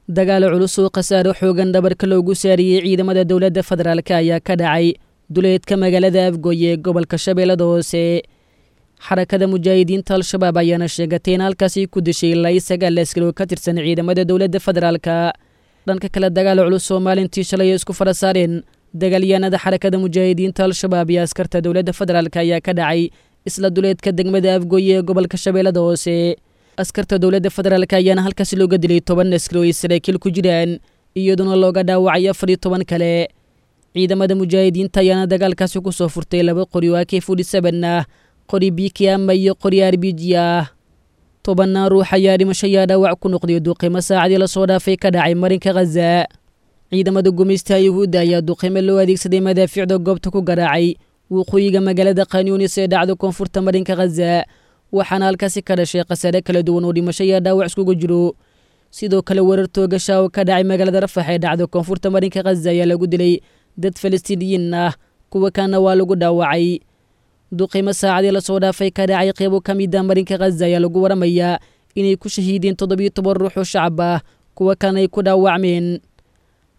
Dagaal culus oo khasaaro xoogan dhabarka loogu saariyey ciidamada dowladda federaalk ayaa ka dhacay duleedka magaalada Afgoye ee gobolka Shabeellada Hoose. Xarakada Mujaahidiinta Al-Shabaab ayaana sheegatay in halkaasi ku dishay ilaa iyo 9 askari oo ka tirsan ciidamada dowladda federaalka. Dhanka kale, dagaal culus oo maalintii shalay ay isku fara saareen dagaalyahanada Xarakada Mujaahidiinta Al-Shabaab iyo askarta dowladda federaalk ayaa ka dhacay isla duleedka degmada Afgoye ee gobolka Shabeellada Hoose. Askarta dowladda federaalk ayaana halkaasi looga dilay 10 askari oo ay saraakiil ku jiraan, iyadoona looga dhaawacay 14 kale. Ciidamada mujaahidiinta ayaana dagaalkaasi ku soo furtay 2 qori oo AK-47 ah, qori BKM iyo qori RPG ah. Tobannaan ruux ayaa dhimasho ayaa dhaawac ku noqday duqeymo saacadii lasoo dhaafay ka dhacay marinka Khaza. Ciidamada gumeystaha Yuhuudda ayaa duqeymo loo adeegsaday madaafiicda goobta ku garaacay waqooyiga magaalada Khanyunis ee dhacda koonfurta marinka Khaza, waxaana halkaasi ka dhashay khasaare kala duwan oo dhimasho iyo dhaawac iskugu jiro. Sidoo kale, weerar toogasha oo ka dhacay magaalada Rafax ee dhacda koonfurta marinka Khaza ayaa lagu dilay dad Falastiiniyiin ah, kuwa kalena waa lagu dhaawacay. Duqeymo saacadii lasoo dhaafay ka dhacay qeybo ka mid ah marinka Khaza ayaa lagu waramayaa inay ku shahiideen 17 ruux oo shacab ah, kuwa kalena ay ku dhaawacmeen.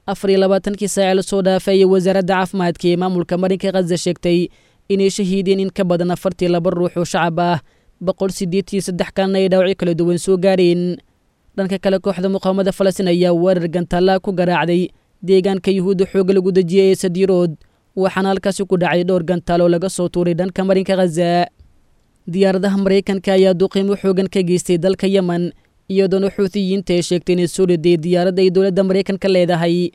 24kii saace lasoo dhaafay ayay wasaaradda caafimaadka ee maamulka marinka Khaza sheegtay inay shahiideen in ka badan 42 ruux oo shacab ah, 183 kalena ay dhaawacyo kala duwan soo gaareen. Dhanka kale, kooxda muqaawamada Falastiin ayaa weerar gantaallaa ku garaacday deegaanka Yuhuudda xoogga lagu dejiyey ee Sadiirood, waxaana halkaasi ku dhacay dhowr gantaal oo laga soo tuuray dhanka marinka Khaza. Diyaaradaha Maraykanka ayaa duqiimo xoogan ka geystay dalka Yemen, iyadoona Xuutiyiinta ay sheegtay inay soo riday diyaaradda ay dowladda Maraykanka leedahay.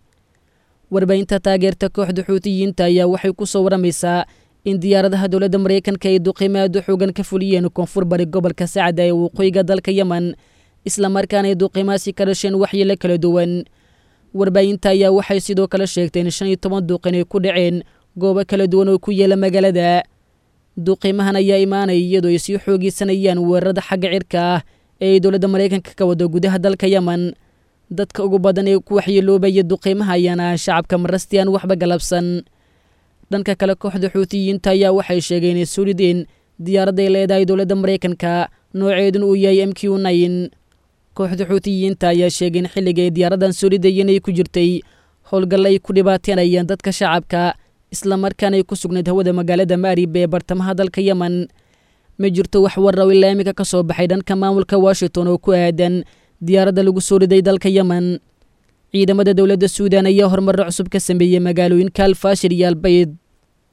Warbaahinta taageerta kooxda Xuutiyiinta ayaa waxay ku soo waramaysaa in diyaaradaha dowladda Maraykanka ay duqiimo aad u xoogan ka fuliyeen koonfur bari gobolka Sacda ee waqooyiga dalka Yemen, islamarkaana ay duqiimahaasi ka dhasheen waxyeelo kala duwan. Warbaahinta ayaa waxay sidoo kale sheegtay in 15 duqin ay ku dhaceen goobo kala duwan oo ku yaala magaalada. Duqiimahan ayaa imaanaya iyadoo ay sii xoogeysanayaan weerarada xagga cirka ah ee ay dowladda Maraykanka ka wado gudaha dalka Yemen. Dadka ugu badan ee ku waxyeeloobaya duqiimaha ayaana ah shacabka marasti aan waxba galabsan. Dhanka kale, kooxda Xuutiyiinta ayaa waxay sheegeen inay soo rideen diyaaradday leedahay dowladda Maraykanka, nooceeduna uu yahay MQ-9. Kooxda Xuutiyiinta ayaa sheegay in xilliga ay diyaaraddan soo ridayeen ay ku jirtay howlgalla ay ku dhibaateynayaan dadka shacabka, islamarkaana ay ku sugnayd hawada magaalada Maarib ee bartamaha dalka Yemen. Ma jirto wax war oo ilaa iminka ka soo baxay dhanka maamulka Washington oo ku aadan diyaaradda lagu soo riday dalka Yemen. Ciidamada dowladda Suudan ayaa horumarro cusub ka sameeyey magaalooyinka Alfaashir iyo Albayd.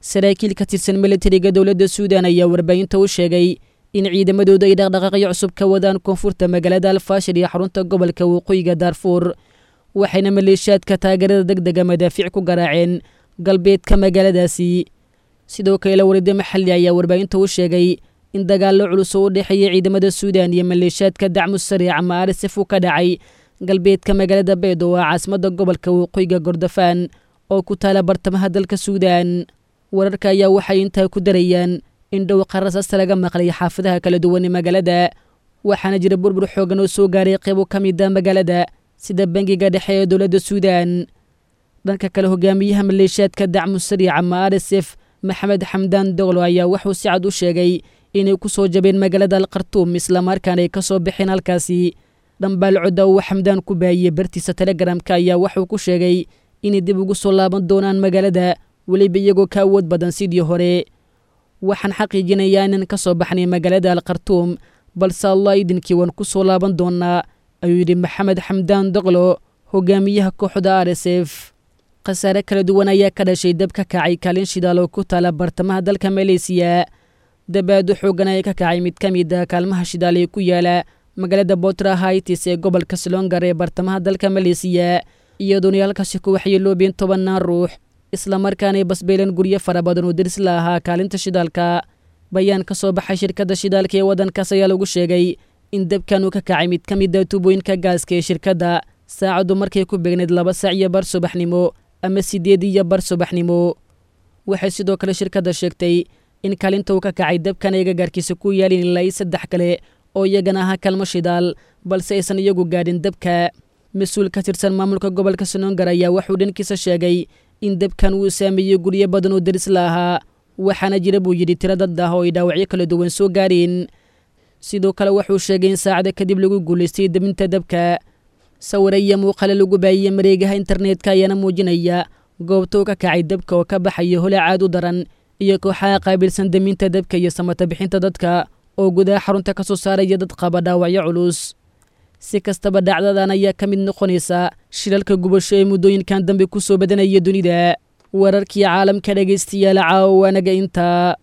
Saraakiil ka tirsan militariga dowladda Suudan ayaa warbaahinta u sheegay in ciidamadoodu ay dhaqdhaqaaqyo cusub ka wadaan koonfurta magaalada Alfaashir iyo xarunta gobolka waqooyiga Daarfuur, waxayna maleeshiyaadka taageerada degdega madaafiic ku garaaceen galbeedka magaaladaasi. Sidoo kale, warida maxalli ayaa warbaahinta u sheegay in dagaallo culus oo u dhexeeya ciidamada Suudan iyo maleeshiyaadka Dacmu Sariic ama RSF uu ka dhacay galbeedka magaalada Beed oo ah caasimadda gobolka waqooyiga Gordofaan oo ku taala bartamaha dalka Suudan. Wararka ayaa waxay intaa ku darayaan in dhowqa rasaasta laga maqlay xaafadaha kala duwan ee magaalada, waxaana jira burbur xoogan oo soo gaaray qeybo ka mid ah magaalada sida bangiga dhexe ee dowladda Suudan. Dhanka kale, hogaamiyaha maleeshiyaadka Dacmu Sariic ama RSF Maxamed Xamdaan Doglo ayaa wuxuu si cad u sheegay inay ku soo jabeen magaalada Alkhartuum, islamarkaana ay ka soo baxeen halkaasi. Dhambaal codda uu Xamdaan ku baahiyey bartiisa Telegramka ayaa wuxuu ku sheegay inay dib ugu soo laaban doonaan magaalada, weliba iyagoo ka awood badan sidii hore. Waxaan xaqiijinayaa inaan ka soo baxnay magaalada Alkhartuum, balse Allah idinkii waan ku soo laaban doonaa, ayuu yidhi Maxamed Xamdaan Doglo, hogaamiyaha kooxda RSF. Khasaare kala duwan ayaa ka dhashay dab ka kacay kaalin shidaal oo ku taala bartamaha dalka Maleysiya. Dabaado xoogan ayaa ka kacay mid ka mid ah kaalmaha shidaal ee ku yaala magaalada Botra Haitis ee gobolka Selongar ee bartamaha dalka Maleysiya, iyadoona halkaasi ku waxyeeloobeen tobannaan ruux, islamarkaanay basbeeleen guryo fara badan oo deris la ahaa kaalinta shidaalka. Bayaan ka soo baxay shirkadda shidaalka ee waddankaas ayaa lagu sheegay in dabkan uu ka kacay mid ka mid ah tuubooyinka gaaska ee shirkadda saacaddu markay ku beegneyd 2:15 subaxnimo ama 8:30 subaxnimo. Waxay sidoo kale shirkadda sheegtay in kaalinta uu ka kacay dabkan ay gagaarkiisa ku yaalin ilaa iyo 3 kale oo iyagana ahaa kaalmo shidaal, balse aysan iyagu gaadhin dabka. Mas-uul ka tirsan maamulka gobolka Senongar ayaa wuxuu dhankiisa sheegay in dabkan uu saameeyey guryo badan oo deris la ahaa, waxaana jira buu yidhi tiro dad ah oo ay dhaawacyo kala duwan soo gaareen. Sidoo kale wuxuu sheegay in saacada kadib lagu guulaystay dabinta dabka. Sawire iyo muuqale lagu baahiyey mareegaha internetka ayaana muujinaya goobtuu ka kacay dabka oo ka baxaya holac aad u daran iyo kooxaha qaabilsan daminta dabka iyo samata bixinta dadka oo gudaha xarunta ka soo saaraya dad qaba dhaawacyo culus. Si kastaba dhacdadan ayaa ka mid noqonaysa shilalka gubasho ee muddooyinkan dambe ku soo badanaya dunida. Wararkii caalamka dhegaystayaal caawa waanaga intaa.